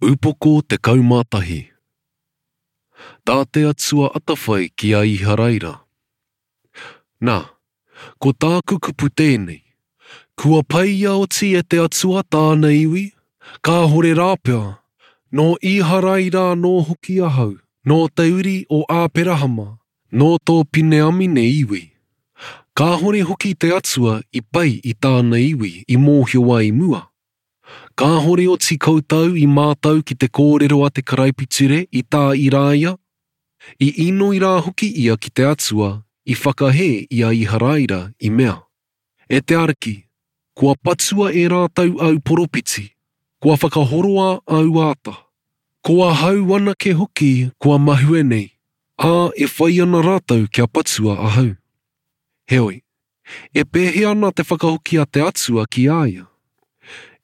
Upoko 11. Tā te Atua atawhai ki a Iharaira. Na, ko tāku kupu tēnei, Kua peia oti e te Atua tāna iwi? Kāhore rāpea. Nō Iharaira anō hoki ahau, nō te uri o Āperahama, nō tō Pineamine iwi. Kāhore hoki te Atua i pai i tāna iwi i mōhio ai i mua. Kāhore oti koutou i mātau ki te kōrero a te karaipiture i tā Irāia? I inoi rā hoki ia ki te Atua i whakahē i a Iharaira i mea, E te Ariki, kua patua e rātou āu poropiti, kua whakahoroa āu āta. Ko ahau anake hoki kua mahue nei, ā, e whai ana rātou kia patua ahau. Heoi, E pēhea ana te whakahoki a te Atua ki a ia?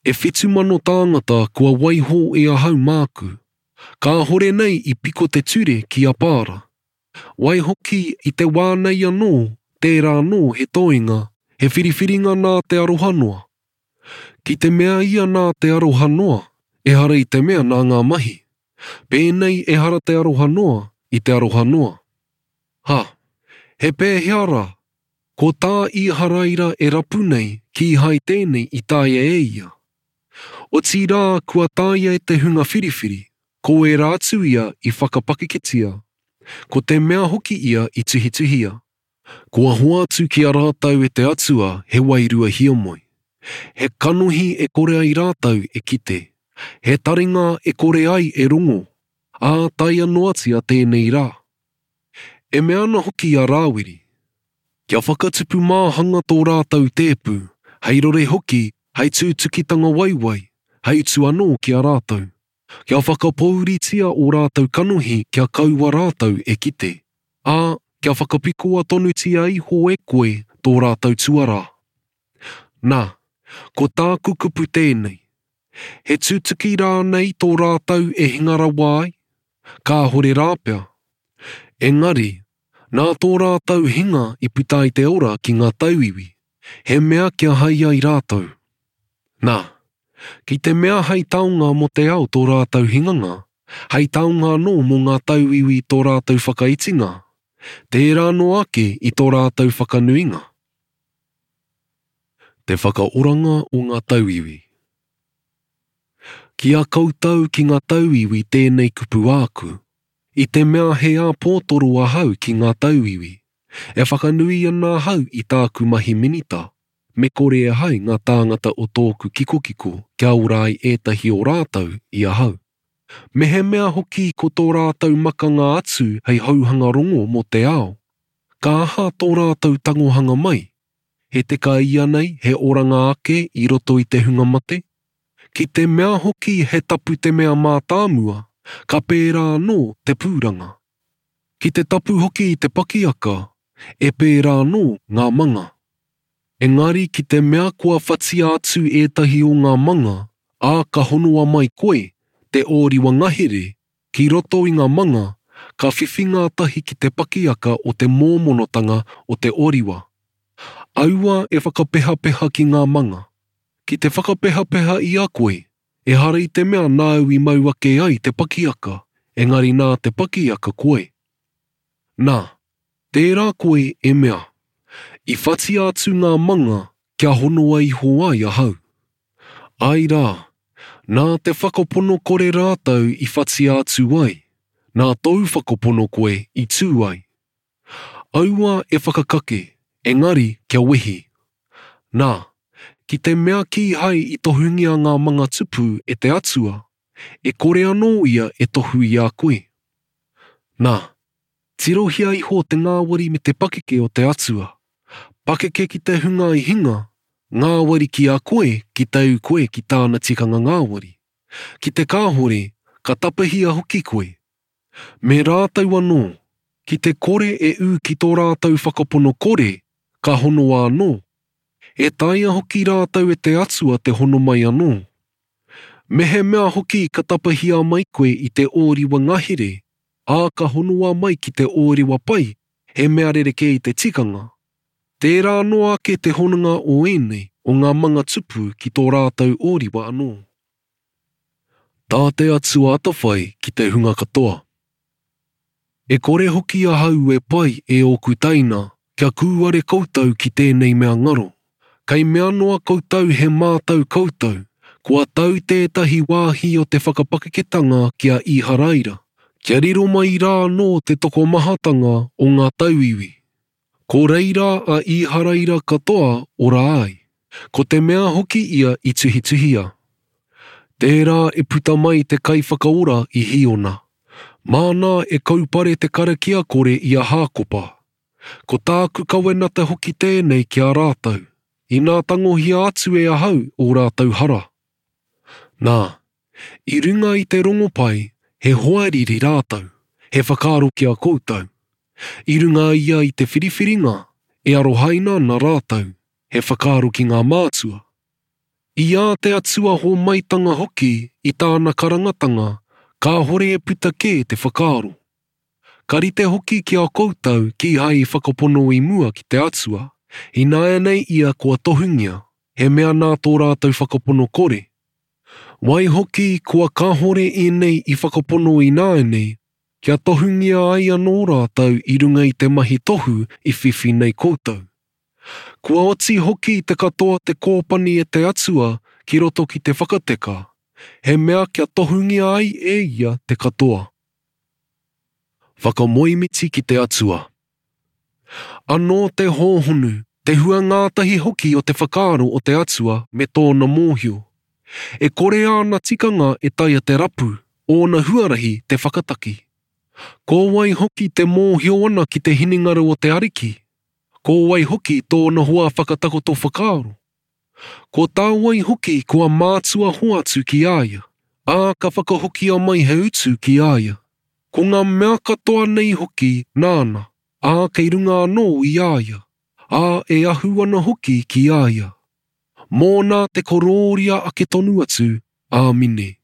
E 7000 tāngata kua waiho e ahau māku, kāhore nei i piko te ture ki a Paara. Waihoki i te wā nei anō, tērā anō he toenga, he whiriwhiringa nā te aroha noa. Ki te mea ia nā te aroha noa, ehara i te mea nā ngā mahi. Pēnei ehara te aroha noa i te aroha noa. Ha! He pēhea rā? Ko tā Īharaira e rapu nei, kīhai tēnei i taea e ia. Otirā kua taea e te hunga whiriwhiri, ko ērā atu ia i whakapakeketia, ko te mea hoki ia i tuhituhia. Kua hoatu ki a rātou e te Atua he wairua hiamoe, he kanohi e kore ai rātou e kite, he taringa e kore ai e rongo, ā taea noatia tēnei rā. E mea ana hoki a Rāwiri, Kia whakatupu māhanga tō rātou tēpu, hei rore hoki, hei tūtukitanga waiwai, hei utu anō ki a rātou. Kia whakapōuritia ō rātou kanohi kia kaua rātou e kite, ā, kia whakapikoa tonutia iho e koe tō rātou tuarā. Nā, ko tāku kupu tēnei, He tutuki rānei tō rātou e hinga rawa ai? Kāhore rāpea. Engari, nā tō rātou hinga i puta ai te ora ki ngā tauiwi, he mea kia hai ai rātou. Nā, ki te mea hei taonga mō te ao tō rātou hinganga, hei taonga anō mō ngā tauiwi tō rātou whakaitinga, tērā noa ake i tō rātou whakanuinga. Te whakaoranga o ngā tauiwi. Ki a koutou ki ngā tauiwi tēnei kupu āku, i te mea he āpōtoro ahau ki ngā tauiwi, e whakanui ana ahau i tāku mahi minita, me kore e hai ngā tāngata o tōku kikokiko kia ora ai ētahi o rātou i ahau. Mehemea hoki ko tō rātou makanga atu hei houhanga rongo mō te ao, ka aha tō rātou tangohanga mai? He teka ianei he oranga ake i roto i te hunga mate? Ki te mea hoki he tapu te mea mātāmua, ka pērā anō te pūranga. Ki te tapu hoki te pakiaka, e pērā anō ngā manga. Engari ki te mea kua whatia atu ētahi o ngā manga, ā, ka honoa mai koe, te ōriwa ngahere, ki roto i ngā manga, ka whiwhi ngātahi ki te pakiaka o te mōmonotanga o te oriwa. Aua e whakapehapeha ki ngā manga. Ki te whakapehapeha i a koe, ehara i te mea nāu i mau ake ai te pakiaka, engari nā te pakiaka koe. Nā, tērā koe e mea, I whatia atu ngā manga kia honoa iho ai ahau. Āe rā, nā te whakapono kore rātou i whatia atu ai, nā tōu whakapono koe i tū ai. Aua e whakakake, engari kia wehi. Nā, ki te mea kīhai i tohungia ngā manga tupu e te Atua, e kore anō ia e tohu i a koe. Nā, Tirohia iho te ngāwari me te pakeke o te Atua. Pakeke ki te hunga i hinga, ngāwari ki a koe ki tau koe ki tāna tikanga ngāwari. Ki te kāhore, ka tapahia hoki koe. Me rātou anō, ki te kore e ū ki tō rātou whakapono kore, ka honoa anō. E taea hoki rātou e te Atua te hono mai anō. Mehemea hoki ka tapahia mai koe i te ōriwa ngahere, ā, ka honoa mai ki te ōriwa pai, he mea rerekē i te tikanga. Tērā noa ake te hononga o ēnei, o ngā manga tupu ki tō rātou ōriwa anō. Tā te Atua atawhai ki te hunga katoa. E kore hoki ahau e pai e ōku teina kia kūare koutou ki tēnei mea ngaro. Kei mea noa koutou he mātau koutou, kua tau tētahi wāhi o te whakapakeketanga ki a Īharaira, kia riro mai rā anō te tokomahatanga o ngā tauiwi. Ko reira a Īharaira katoa ora ai. Ko te mea hoki ia i tuhituhia. Tērā e puta mai te Kaiwhakaora i Hīona. Māna e kaupare te karakia kore i a Hākopa. Ko tāku kawenata hoki tēnei ki a rātou, inā tangohia atu e ahau ō rātou hara. Nā, i runga i te rongopai, he hoariri rātou, he whakaaro ki a koutou. I runga ia i te whiriwhiringa, e arohaina ana rātou, he whakaaro ki ngā mātua. I ā te Atua hōmaitanga hoki i tāna karangatanga, kāhore e puta kē te whakaaro. Ka rite hoki ki a koutou kīhai i whakapono i mua ki te Atua, ināianei ia kua tohungia, he mea nā tō rātou whakapono kore. Waihoki kua kāhore ēnei i whakapono ināianei, kia tohungia ai anō rātou i runga i te mahi tohu i whiwhi nei koutou. Kua oti hoki te katoa te kōpani e te Atua ki roto ki te whakateka, he mea kia tohungia ai e ia te katoa. Whakamoemiti ki te Atua. Anō te hōhonu, te hua ngātahi hoki o te whakaaro o te Atua me tōna mōhio. E kore āna tikanga e taea te rapu, ōna huarahi te whakataki. Ko wai hoki te mōhio ana ki te hinengaro o te Ariki? Ko wai hoki tōna hoa whakatakoto whakaaro? Ko tā wai hoki kua mātua hoatu ki a ia, ā, ka whakahokia mai he utu ki a ia. Ko ngā mea katoa nei hoki nāna, ā, kei runga anō i a ia, ā, e ahu ana hoki ki a ia. Mōna te korōria ake tonu atu. Āmine.